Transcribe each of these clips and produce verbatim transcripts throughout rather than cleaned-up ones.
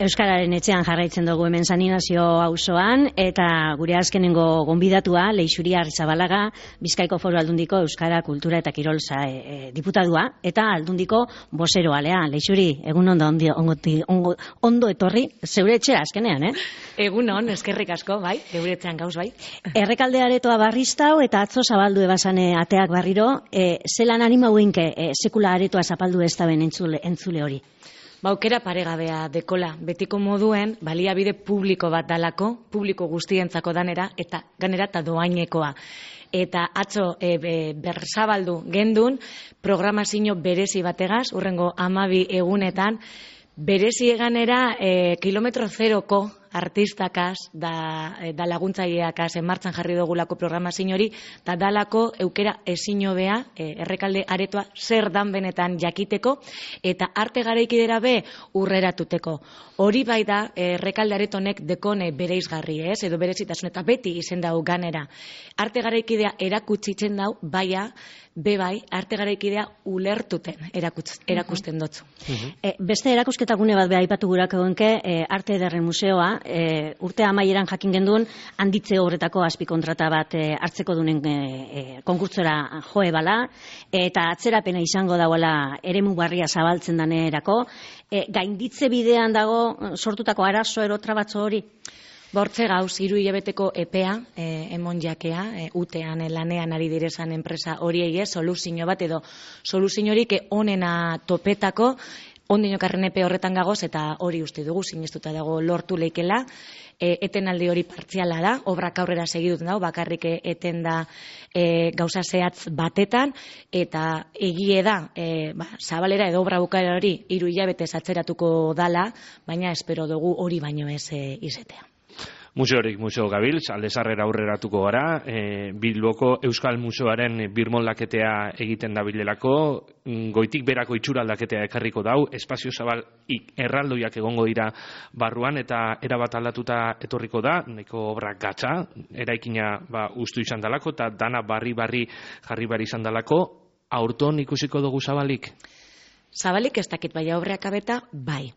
Euskararen etxean jarraitzen dugu hemen San Inazio auzoan eta gure azkenengo gonbidatua Leixuri Arrizabalaga, Bizkaiko Foru Aldundiko Euskara, Kultura eta Kirol e, diputadua eta Aldundiko bozeroalea. Leixuri, egun ondo, ondo, ondo, ondo etorri, zeure etxera azkenean, eh? Egun on, eskerrik asko, bai, geure etxean gauz, bai. Errekalde aretoa barriztau eta atzo zabaldu ebasane ateak barriro, e, zelan anima huinke e, sekula aretoa zapaldu ez da ben entzule, entzule hori? Baukera paregabea dekola, betiko moduen, baliabide publiko bat dalako, publiko guztientzako danera, eta ganera eta doainekoa. Eta atzo e, be, berzabaldu gendun, programazio berezi bategaz, urrengo amabi egunetan, berezi eganera e, kilometro zeroko artistakaz, da, da laguntzaileakaz enmartzan jarri dugulako programazio hori, eta dalako eukera ezin hobea, e, errekalde aretoa zer dan benetan jakiteko, eta arte garaikidera be urreratuteko. Hori bai da, errekalde aretonek dekone bereizgarri, ez, edo berezitasun, eta beti izen dau ganera. Arte garaikidea erakutsitzen dau, baia, be bai, arte garaikidea ulertuten erakutz, erakusten dotzu. Uh-huh. e, beste erakusketagune bat beha aipatu gurak egonke, e, Arte Ederren Museoa, e, urte amaieran jakin genduen, handitze horretako azpikontrata bat e, hartzeko dunen e, e, konkurtsora joe bala, eta atzerapena izango dagoela eremu barria zabaltzen danerako, e, gainditze bidean dago sortutako arazo erotra batzo hori? Bortze gauz, hiru hilabeteko epea, e, emon jakea, e, utean e, lanean ari direzan enpresa horiei ez, soluzio bat edo soluzio horik onena topetako, ondinokarren epe horretan gagoz, eta hori uste dugu, sinestuta dago lortu leikela, e, etenaldi hori partziala da, obrak aurrera segiduten dago, bakarrik eten da e, gauza zehatz batetan, eta egie da, e, ba, zabalera edo obra bukaera hori hiru hilabetez atzeratuko dala, baina espero dugu hori baino ez e, izetea. Museorik museo gabiltz, aldezarrera aurreratuko gara, e, Bilboko Euskal Museoaren birmoldaketea egiten dabilelako, goitik berako itxura aldaketea ekarriko dau, espazio zabal erraldoiak egongo dira barruan, eta erabat aldatuta etorriko da, neko obra gatza, eraikina ba, ustu izan dalako, eta dana barri-barri jarri bari izan dalako, aurton ikusiko dugu zabalik? Zabalik ez dakit baina obreak abeta, bai.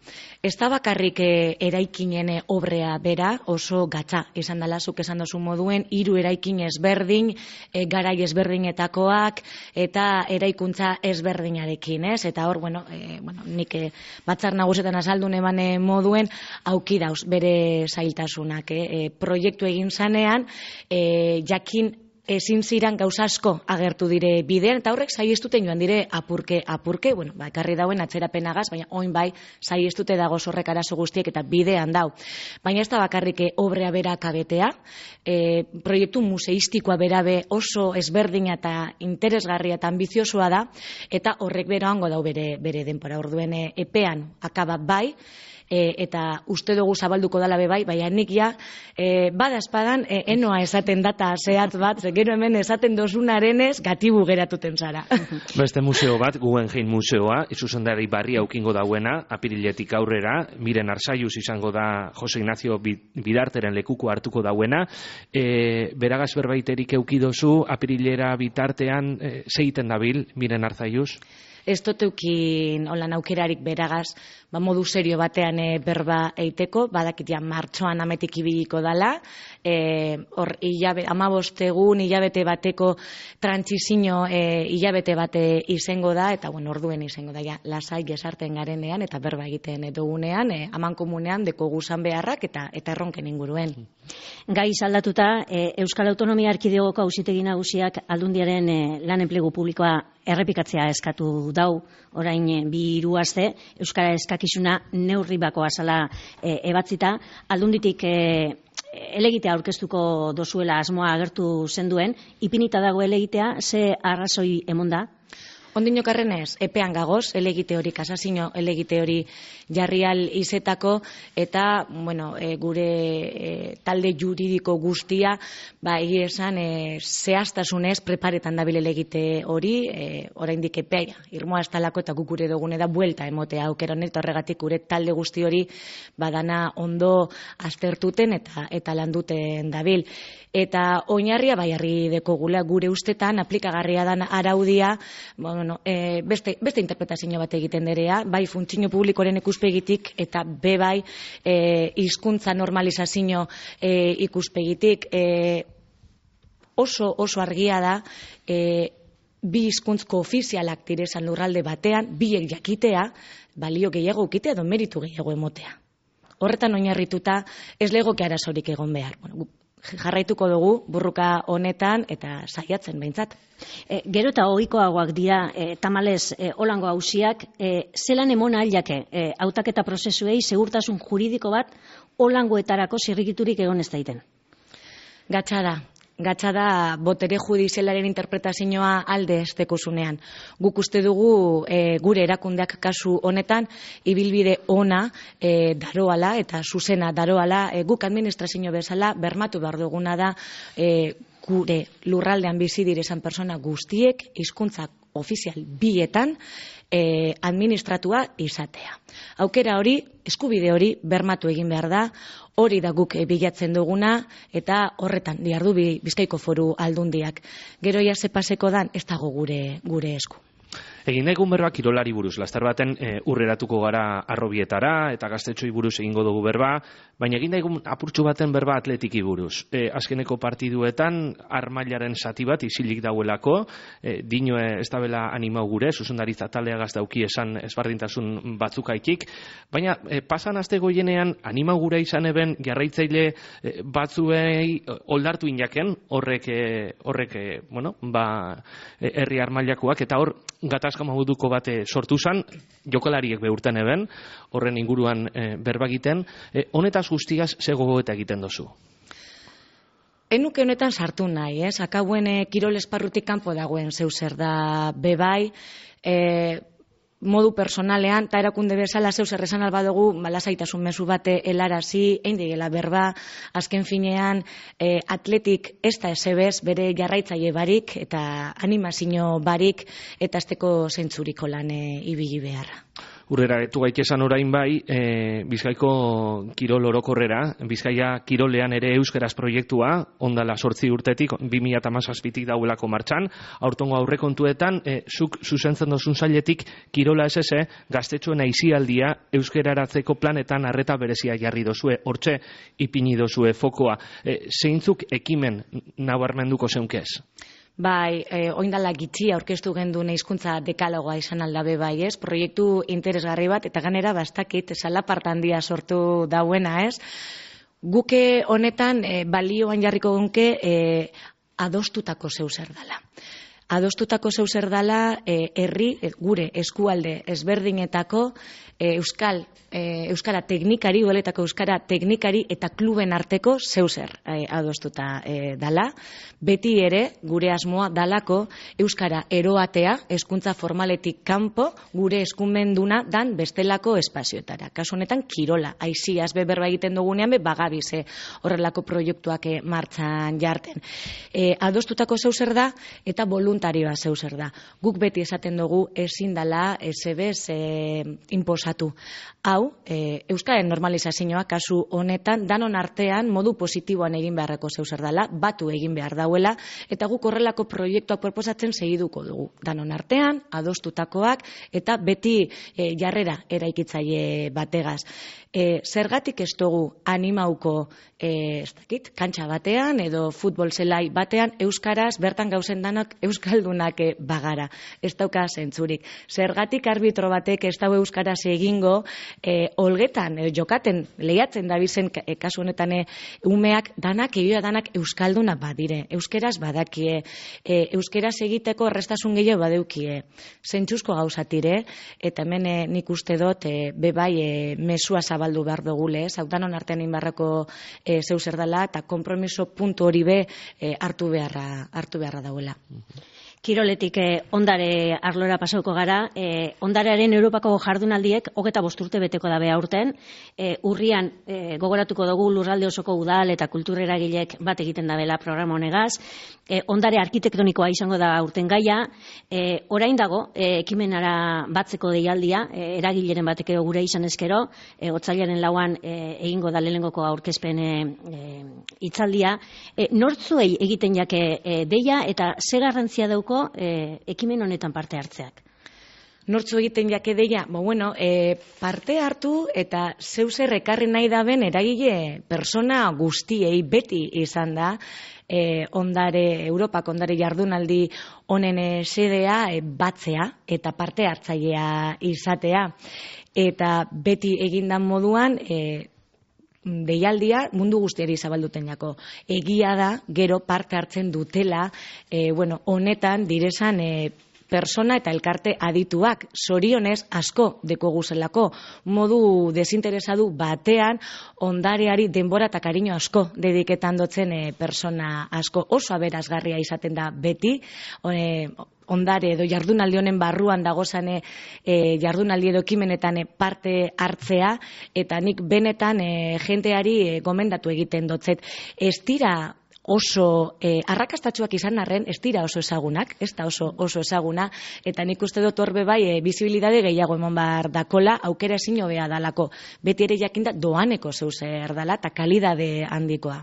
Ez da bakarrik e, eraikinen obrea bera oso gatza izan dela, zuk esan dozu moduen, hiru eraikin ezberdin, e, garai ezberdinetakoak, eta eraikuntza ezberdinarekin, ez? Eta hor, bueno, e, bueno nik e, batzar nagusetan azaldun eman moduen, auki dauz bere zailtasunak. E, e, proiektu egin zanean, e, jakin ezin ziran gauza asko agertu dire bidean, eta horrek saiestuten joan dire apurke, apurke, bueno, ba, ekarri dauen atzerapenagaz, baina oin bai saiestute dago horrek arazo guztiek eta bidean dau. Baina ez da bakarrike obrea bera kabetea, e, proiektu museistikoa berabe oso ezberdina eta interesgarria eta ambiziosoa da, eta horrek beroango dau bere, bere denpora orduen e, epean akaba bai, E, eta uste dugu zabalduko dala bebai, baina nik ja, e, bada espadan, e, enoa esaten data zehatz bat, ze gero hemen esaten dozunarenez, gatibu geratuten zara. Beste museo bat, Guggenheim Museoa, zuzendari barri aukingo dauena, apiriletik aurrera, Miren Arzaiuz izango da Jose Ignacio Bidarteren lekuko hartuko dauena, e, beragaz berbaiterik eukidozu, apirilera bitartean, e, zeiten dabil, Miren Arzaiuz? Ez doteukin holan aukerarik beragaz, ba, modu serio batean e, berba eiteko, badakit ja martxoan ametik ibiliko dala, e, hor amabost egun hilabete bateko trantsizio e, hilabete bate izango da, eta bueno, orduen izango da, ja, lasai gesarten garenean, eta berba egiten dugunean, e, aman komunean, deko guzan beharrak, eta eta erronken inguruen. Gai aldatuta, e, Euskal Autonomia Erkidegoko Auzitegi Nagusiak Aldundiaren e, lan enplegu publikoa errepikatzea eskatu dau, orain bi hiru aste, Euskara eskakizuna neurri bakoa zala e, ebatzita, Aldunditik e, elegitea aurkeztuko dozuela asmoa agertu zenduen, ipinita dago elegitea, ze arrazoi emonda? Ondinokarrenez, epean gagoz, elegite hori, kasazio elegite hori jarrial izetako, eta, bueno, e, gure e, talde juridiko guztia, ba, egia esan, e, zehaztasunez preparetan dabil elegite hori, e, oraindik epea, irmoa estalako eta gukure dugune da buelta emotea aukera honet, horregatik gure talde guzti hori badana ondo aztertuten eta eta landuten dabil. Eta oinarria bai harri dekogula gure ustetan aplikagarria dan araudia, bueno, bueno, e, beste, beste interpretazio bat egiten derea, bai funtzio publikoren ikuspegitik eta be bai e, hizkuntza normalizazio e, ikuspegitik e, oso oso argia da e, bi hizkuntzko ofizialak direzan lurralde batean, biek jakitea, balio gehiago ukitea edo meritu gehiago emotea. Horretan oinarrituta ez legoke arazorik egon behar. Bueno, jarraituko dugu burruka honetan eta saiatzen behintzat. E, gero eta ohikoagoak dira e, tamalez e, holango auziak, e, zelan emona ailake e, hautaketa prozesuei segurtasun juridiko bat holangoetarako zirrikiturik egon ez daiten? Gatsa da. Gatsa da botere judizialaren interpretazioa alde estekuzunean. Guk uste dugu e, gure erakundeak kasu honetan ibilbide ona e, daroala eta zuzena daroala, e, guk administrazio bezala bermatu behar duguna da e, gure lurraldean bizi direzan persona guztiek hizkuntza ofizial bietan e, administratua izatea. Aukera hori, eskubide hori bermatu egin behar da, hori da guk bilatzen duguna eta horretan diardu Bizkaiko Foru Aldundiak. Gero ja ze paseko dan ez dago gure gure esku. Egin egun berba kirolari buruz, laster baten e, urreratuko gara arrobietara eta gaztetxoi buruz egingo dugu berba, baina egin egun apurtxu baten berba atletiki buruz. E, azkeneko partiduetan armailaren zati bat isilik dauelako, e, dinoe ez dabela animau gure, zuzendaritza taleagaz dauki esan ezbardintasun batzukaikik, baina e, pasan aste goienean animau gure izan eben jarraitzaile e, batzuei oldartu inaken, horrek, e, horrek e, bueno, ba, e, herri armailakoak, eta hor gatazka moduko bate sortu zan, jokalariek beurten eben, horren inguruan e, berbagiten. E, honetaz guztigaz ze gogoeta egiten dozu? Enuke honetan sartu nahi, ez? Akabuen e, kirol esparrutik kanpo dagoen zeu zer da bebai, e, modu personalean, eta erakunde bezala zeu zer esan alba dugu, malasaitasun mezu bate helarazi, egin digela berba, azken finean e, atletik ez da esebez bere jarraitzaile barik eta animazio barik eta azteko zentzuriko lan e, ibili beharra. Urrera, etu gaik esan orain bai, e, Bizkaiko kirol orokorrera, Bizkaia kirolean ere euskeraz proiektua, ondala sortzi urtetik, bi mila hamazazpitik dauelako martxan, aurtongo aurrekontuetan, e, zuk zuzentzen dozun zailetik, kirola ez eze, gaztetxoen aizialdia euskeraratzeko planetan arreta berezia jarri dozue, hortxe ipini dozue fokoa. E, zeintzuk ekimen nabarmenduko zeunkez? Bai, eh, oindala gitxi aurkeztu genduen hizkuntza dekalogoa izan aldabe bai, ez? Proiektu interesgarri bat, eta ganera bastakit, salapart handia sortu dauena, ez? Guke honetan eh, balioan jarriko gunke eh, adostutako zeu zer dala. Adostutako zeu zer dala eh, herri, eh, gure eskualde ezberdinetako eh, euskal E, euskara teknikari, udaletako euskara teknikari eta kluben arteko zeuzer e, adostuta e, dala. Beti ere, gure asmoa dalako euskara eroatea, hezkuntza formaletik kanpo, gure eskumenduna dan bestelako espazioetara. Kasu honetan, kirola, aiziaz beberba egiten dugunean, be bagabize horrelako proiektuak e, martxan jarten. E, adostutako zeuzer da eta voluntarioa zeuzer da. Guk beti esaten dugu ezin dala ezebez e, imposatu. Hau, e, euskaren normalizazioa kasu honetan danon artean modu positiboan egin beharreko zeuzer dela, batu egin behar dauela, eta guk horrelako proiektuak proposatzen segiduko dugu. Danon artean, adostutakoak, eta beti e, jarrera eraikitzaile bategaz. E, zergatik ez dugu animauko e, ez dakit, kantxa batean edo futbol zelai batean euskaraz bertan gauzen danak euskaldunak e, bagara. Ez dauka zentzurik. Zergatik arbitro batek ez dau euskaraz egingo e, olgetan, e, jokaten, lehiatzen dabizen e, kasu honetan e, umeak danak, egia danak euskalduna badire. Euskeraz badakie, e, euskeraz egiteko errestasun gehiago badeukie. Zentzuzko gauzatire, eta hemen e, nik uste dut e, bebai e, mesua zabaldu behar dugule, ez, hau danon artean inbarrako e, zeu zer dela, eta kompromiso puntu hori be e, hartu beharra, hartu beharra dauela. Kiroletik eh, ondare arlora pasauko gara, eh, ondarearen Europako jardunaldiek hogeta bost urte beteko dabe aurten, eh, urrian eh, gogoratuko dugu lurralde osoko udal eta kultureragilek bat egiten dabela programa honegaz, eh, ondare arkitektonikoa izango da aurten gaia, eh, orain dago eh, ekimenara batzeko deialdia, eh, eragileren batek gure izan ezkero, eh, otsailaren lauan eh, egingo da lehenengoko aurkezpen eh, hitzaldia, eh, nortzuei egiten jake eh, deia eta ze garrantzia dauka daukoko e, ekimen honetan parte hartzeak? Nortzu egiten jake deia, bo, bueno, e, parte hartu eta zeu zer ekarri nahi daben eragile persona guztiei beti izan da, e, ondare, Europak ondare jardunaldi honen e, sedea e, batzea eta parte hartzailea izatea. Eta beti egindan moduan, e, deialdia mundu guztiari zabalduten jako. Egia da, gero parte hartzen dutela, e, bueno, honetan direzan e, persona eta elkarte adituak, zorionez asko deko guzelako, modu desinteresadu batean ondareari denbora eta kariño asko dediketan dotzen e, persona asko, oso aberazgarria izaten da beti, e, ondare edo jardunaldi honen barruan dagozane e, jardunaldi edo ekimenetan e, parte hartzea, eta nik benetan e, jenteari e, gomendatu egiten dotzet. Ez dira oso eh, arrakastatxuak izan arren, ez dira oso ezagunak, ez da oso, oso ezaguna, eta nik uste dut horbe bai e, bizibilidade gehiago emon bar dakola, aukera ezin hobea dalako. Beti ere jakinda doaneko zeuzer dala, eta kalidade handikoa.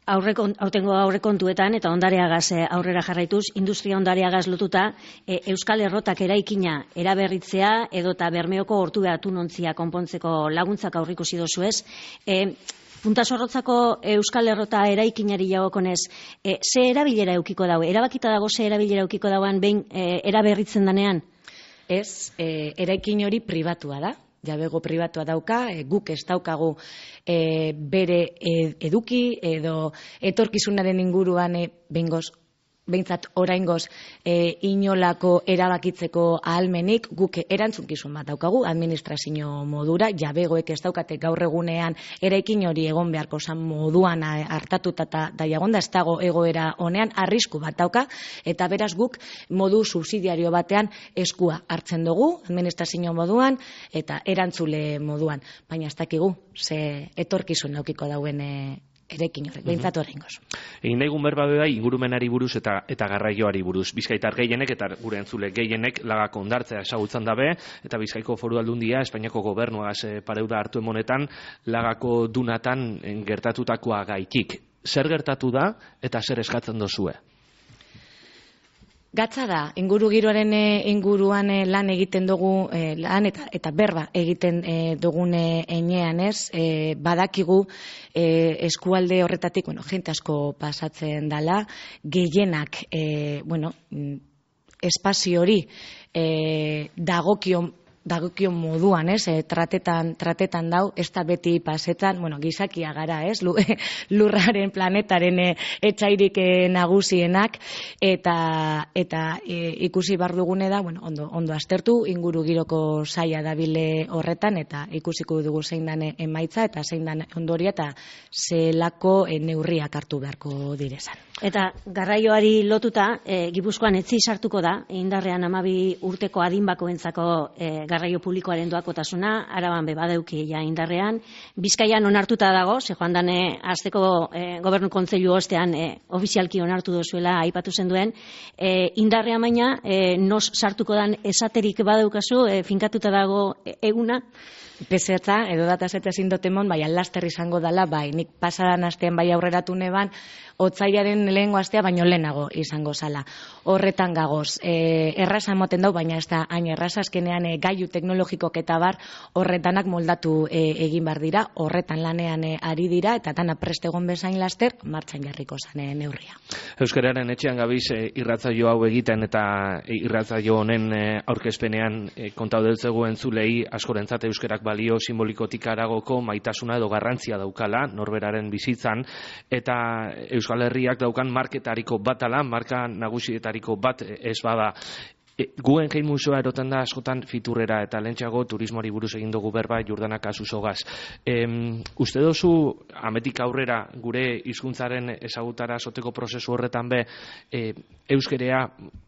Aurrekon, autengo aurrekontuetan eta ondareagaz aurrera jarraituz, industria ondareagaz lotuta, e, Euskal Errotak eraikina eraberritzea edota Bermeoko ortu behatu nontzia konpontzeko laguntzak aurrikusi dozuez. E, Puntasorrotzako Euskal Errota eraikinari jagokonez, e, ze erabilera eukiko daue? Erabakita dago ze erabilera eukiko dauan behin e, eraberritzen danean? Ez, e, eraikin hori pribatua da. Jabego pribatua dauka, e, guk ez daukagu e, bere eduki edo etorkizunaren inguruan e, bengoz, behintzat oraingoz e, inolako erabakitzeko ahalmenik, guk erantzunkizun bat daukagu administrazio modura, jabegoek ez daukate gaur egunean eraikin hori egon beharko zan moduan hartatuta eta daiagonda ez dago egoera honean, arrisku bat dauka, eta beraz guk modu subsidiario batean eskua hartzen dugu administrazio moduan eta erantzule moduan, baina ez dakigu ze etorkizun daukiko dauen e, erekin horrek, behintzatu horrengoz. Egin daigun berba bai ingurumenari buruz eta eta garraioari buruz. Bizkaitar gehienek eta gure entzule gehienek lagako ondartzea ezagutzen dabe, eta Bizkaiko Foru Aldundia Espainiako gobernuaz e, pareuda hartu emonetan lagako dunatan gertatutakoa gaitik. Zer gertatu da eta zer eskatzen dozue? Gatza da, inguru giroaren inguruan lan egiten dugu, eh, lan eta, eta berba egiten eh, dugune enean ez, eh, badakigu eh, eskualde horretatik, bueno, jente asko pasatzen dala, gehienak, eh, bueno, espazio hori eh, dagokion dagokion moduan, ez, e, tratetan, tratetan dau, ez da beti pasetan, bueno, gizakia gara, ez, lurraren planetaren e, etxairik e, nagusienak, eta eta e, ikusi bar dugune da, bueno, ondo, ondo aztertu, inguru giroko saia dabile horretan, eta ikusiko dugu zein dan emaitza, eta zein dan ondoria, eta zelako e, neurriak hartu beharko direzan. Eta garraioari lotuta, e, Gipuzkoan etzi sartuko da, indarrean hamabi urteko adinbakoentzako e, garraio publikoaren doakotasuna, Araban be badeuki ja indarrean, Bizkaian onartuta dago, ze joan dane azteko e, gobernu kontseilu ostean e, ofizialki onartu dozuela aipatu zen duen, e, indarrean baina e, nos sartuko dan esaterik badeukazu, e, finkatuta dago e, eguna, Pezetza, edo datasete ezin dotemon, bai, alaster izango dala, bai, nik pasadan astean bai aurreratu neban, otzailaren lehengo astea baino lehenago izango zala. Horretan gagoz, e, erraza moten dau, baina ez da hain erraza, azkenean e, gailu teknologikok eta bar horretanak moldatu e, egin bar dira, horretan lanean e, ari dira, eta dana prest egon bezain laster, martxan jarriko zane neurria. Euskararen etxean gabiz e, irratzaio hau egiten eta e, irratzaio honen e, aurkezpenean e, kontaudeltzegu entzulei askorentzat euskerak balio simbolikotik aragoko maitasuna edo garrantzia daukala norberaren bizitzan, eta Euskal Herriak daukan marketariko bat ala, marka nagusietariko bat ez bada. E, guen gehi museoa eroten da askotan fiturrera eta lentsago turismoari buruz egin dugu berba Jordana Kasusogaz. E, uste dozu ametik aurrera gure hizkuntzaren ezagutara soteko prozesu horretan be e, euskerea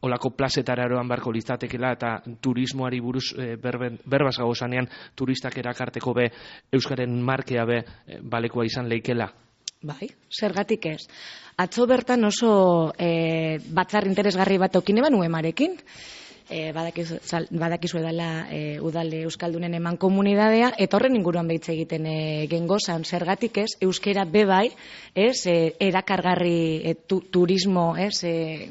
olako plazetara eroan barko litzatekela eta turismoari buruz e, berben, berbaz gagozanean turistak erakarteko be euskaren markea be e, balekoa izan leikela? Bai, zergatik ez. Atzo bertan oso e, batzar interesgarri bat aukine banu emarekin. e, badakizu, badakizu edala e, udalde euskaldunen eman komunidadea, eta horren inguruan behitze egiten e, gengozan, zergatik ez, euskera bebai, ez, e, erakargarri e, tu, turismo, ez, e,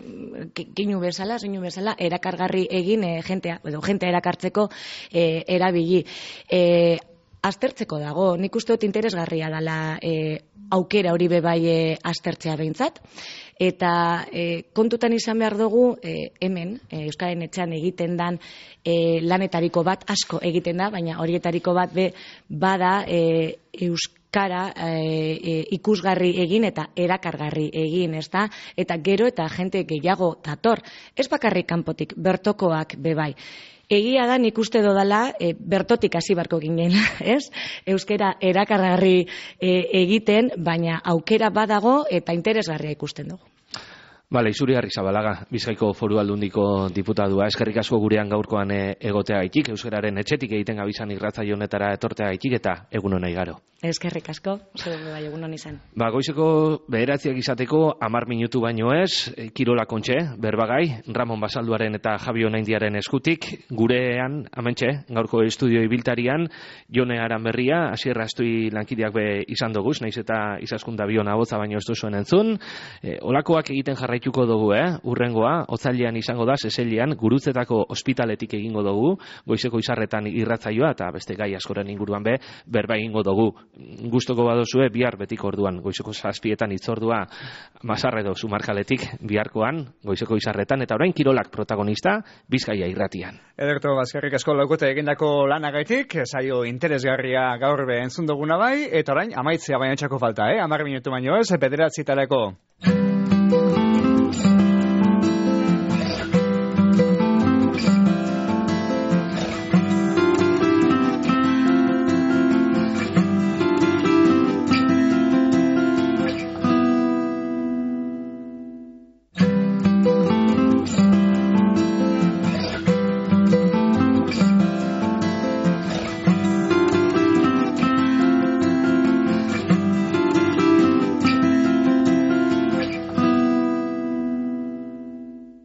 ginu bezala, zeinu bezala, erakargarri egin e, jentea, edo jentea erakartzeko e, erabili. E, aztertzeko dago, nik uste dut interesgarria dela e, aukera hori bebai e, aztertzea behintzat, eta e, kontutan izan behar dugu e, hemen, e, Euskararen etxean egiten dan e, lanetariko bat asko egiten da, baina horietariko bat be, bada e, Euskara e, e, ikusgarri egin eta erakargarri egin, ezta? Eta gero eta jente gehiago dator, ez bakarrik kanpotik, bertokoak bebai. Egia da, nik uste dodala, e, bertotik hasi barko ginen, ez? Euskera erakargarri e, egiten, baina aukera badago eta interesgarria ikusten dugu. Bale, Izuriarri Zabalaga, Bizkaiko Foru Aldundiko diputadua, eskerrik asko gurean gaurkoan e, egotea gaitik, euskararen etxetik egiten gabizan irratzaio honetara etortea gaitik eta egun hona igaro. Eskerrik asko, zure bai egun hon izan. Ba, goizeko bederatziak izateko hamar minutu baino ez, e, Kirola Kontxe, berbagai, Ramon Basalduaren eta Javi Onaindiaren eskutik, gurean, amentxe, gaurko estudio ibiltarian, Jone Aranberria, Asier Astui lankideak be izan doguz, naiz eta izaskunda biona boza baino ez duzuen entzun, e, olakoak egiten jarraituko dugu, eh? Urrengoa, otzailean izango da, seselian, Gurutzetako ospitaletik egingo dugu, goizeko izarretan irratzaioa, eta beste gai askoren inguruan be, berba egingo dugu. Gustoko badozue, bihar betiko orduan, goizeko zazpietan itzordua Mazarredo Zumarkaletik, biharkoan, goizeko izarretan, eta orain Kirolak protagonista, Bizkaia irratian. Ederto, bazkarrik asko laukote egindako lanagaitik, saio interesgarria gaur be entzun duguna bai, eta orain amaitzea baina txako falta, eh? Amar minutu baino ez, bederatzitarako.